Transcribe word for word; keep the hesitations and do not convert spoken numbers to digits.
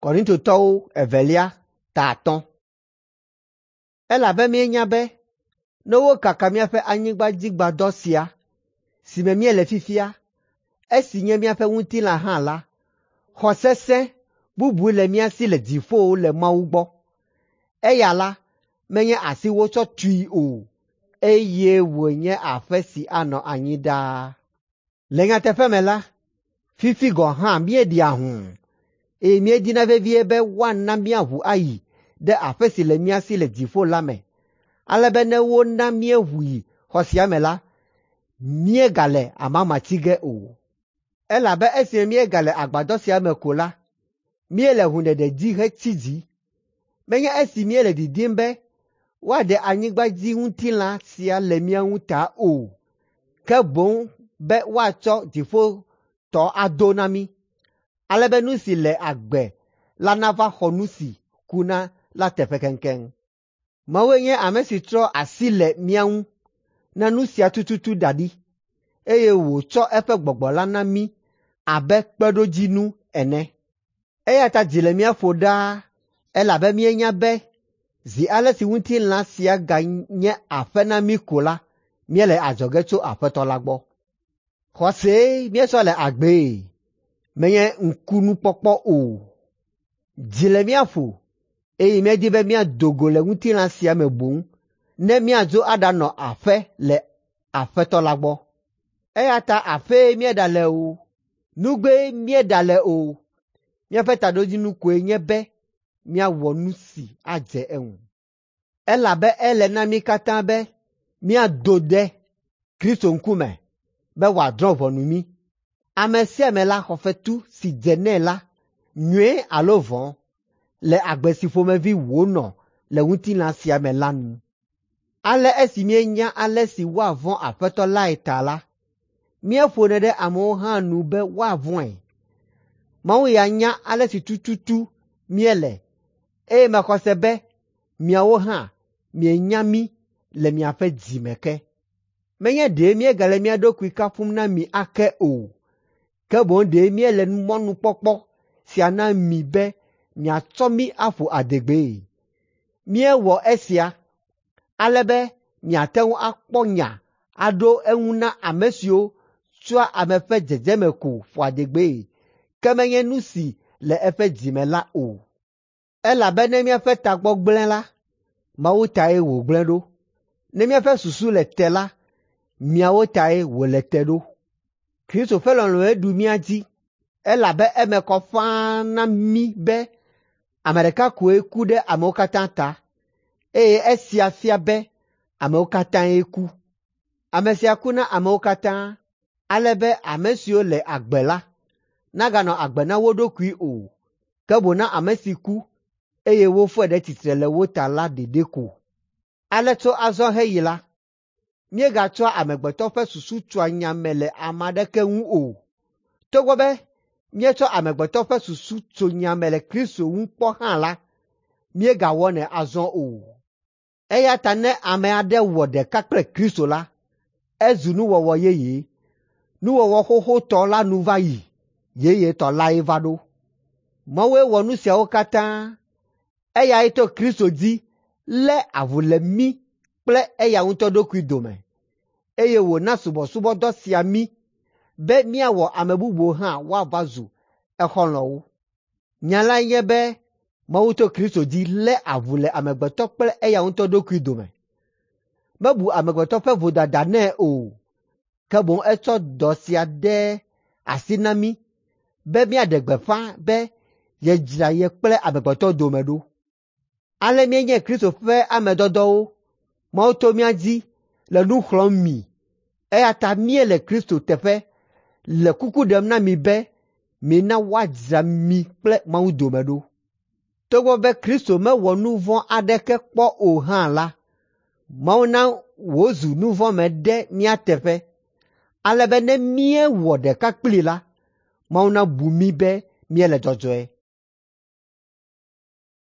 Korintotɔwo evelia ta atɔ̃. Elabe míenya be ne wokaka míaƒe anyigbadzigbadɔ sia si me míele fifia, esi nye míaƒe ŋutilã hã la, xɔ sesẽ bubu le mía si le dziƒo le Mawu gbɔ. Eya la, menye asi wotsɔ tui o, eye wònye aƒe si anɔ anyi ɖaa. Le nyateƒe me la, fifi gɔ̃ hã míeɖia hũu, eye míedina vevie be woana míaʋu ayi ɖe aƒe si le mía si le dziƒo la me, ale be ne wona míeʋu yi xɔ sia me la, míegale amama tsi ge o. Elabe esime míegale agbadɔ sia me ko la, míele hũɖeɖe dzi hetsi dzi. Menye esi míele didim be woaɖe anyigbadziŋutilã sia le mía ŋu ta o, ke boŋ be woatsɔ dziƒotɔ ado na mí, ale be nu si le agbe la nava xɔ nu si kuna la teƒe keŋkeŋ. Mawue nye ame si trɔ asi le mía ŋu na nu sia tututu da ɖi, eye wòtsɔ eƒe gbɔgbɔ la na mí abe kpeɖodzinu ene. Eya ta dzi le mía ƒo ɖaa elabe míenya be zi ale si ŋutilã sia ganye aƒe na mí ko la, míele adzɔge tso Aƒetɔ la gbɔ. Xɔsee míetsɔ le agbee, menye ŋkunukpɔkpɔ o. Dzi le mía ƒo eye míedi be míado go le ŋutilã sia me boŋ ne míadzo aɖanɔ aƒe le Aƒetɔ la gbɔ. Eya ta aƒee míeɖale o, nugbee míeɖale o, míaƒe taɖodzinu koe nye be míawɔ nu si adze eŋu. Elabe ele na mí katã be míado ɖe Kristo ŋkume be wòadrɔ̃ ʋɔnu mí. Ame sia ame la xɔ fetu si dze nɛ la, nyui alo vɔ̃, le agbe si ƒomevi wònɔ le ŋutilã sia me la nu. Ale esi míenya ale si woavɔ̃ Aƒetɔ lae ta la, míeƒonɛ ɖe amewo hã nu be woavɔ̃e. Mawu ya nya ale si tututu míele eye mexɔ se be miawo hã mienya mí le miaƒe dzi me ke. Menye ɖe míegale mía ɖokui kafum na mi ake o, ke boŋ ɖe míele mɔnukpɔkpɔ sia na mi be miatsɔ mí aƒo adegbee. Míewɔ esia ale be miate ŋu akpɔ nya aɖo eŋu na ame siwo tsɔa ame ƒe dzedzeme ko ƒoa adegbee, ke menye nu si le eƒe dzi me la o. Elabe ne míaƒe tagbɔ gblẽ la, Mawu tae wògblẽ ɖo. Ne míaƒe susu le te la, miawo tae wòle te ɖo. Kristo ƒe lɔlɔ̃e ɖu mía dzi, elabe eme kɔ ƒãa na mí be ame ɖeka koe ku ɖe amewo katã ta, eye esia fia be amewo katãe ku. Ame sia ku na amewo katã, ale be ame siwo le agbe la naganɔ agbe na wo ɖokui o, ke boŋ na ame si ku, eye wofɔe ɖe tsitre le wo ta la ɖeɖe ko. Ale tso azɔ heyi la, míegatsɔa amegbetɔ ƒe susu tsoa nya me le ame aɖeke ŋu o. Togbɔ be míetsɔ amegbetɔ ƒe susu tso nya me le Kristo ŋu kpɔ hã la, míegawɔnɛ azɔ o. Eya ta ne ame aɖe wɔ ɖeka kple Kristo la, ezu nuwɔwɔ yeye. Nuwɔwɔ xoxotɔ la nu va yi, yeyetɔ lae va ɖo. Mawue wɔ nu siawo katã. Eyae to Kristo dzi lé avu le mí kple eya ŋutɔ ɖokui dome, eye wòna subɔsubɔdɔ sia mí be míawɔ ame bubuwo hã woava zu exɔlɔ̃wo. Nya lae nye be Mawu to Kristo dzi lé avu le amegbetɔ kple eya ŋutɔ ɖokui dome. Mebu amegbetɔ ƒe vodada nɛ o, ke boŋ etsɔ dɔ sia de asi na mí be míaɖe gbeƒã be yedzra ye kple amegbetɔ dome ɖo. Ale míenye Kristo ƒe ame dɔdɔwo. Mawu to mía dzi le nu xlɔ̃m mi, eya ta míele Kristo teƒe le kuku ɖem na mi be mina woadzra mi kple Mawu dome ɖo. Togbɔ be Kristo mewɔ nu vɔ̃ aɖeke kpɔ o hã la, Mawu na wòzu nuvɔ̃me ɖe mía teƒe, ale be ne míewɔ ɖeka kplii la, Mawu nabu mí be míele dzɔdzɔe.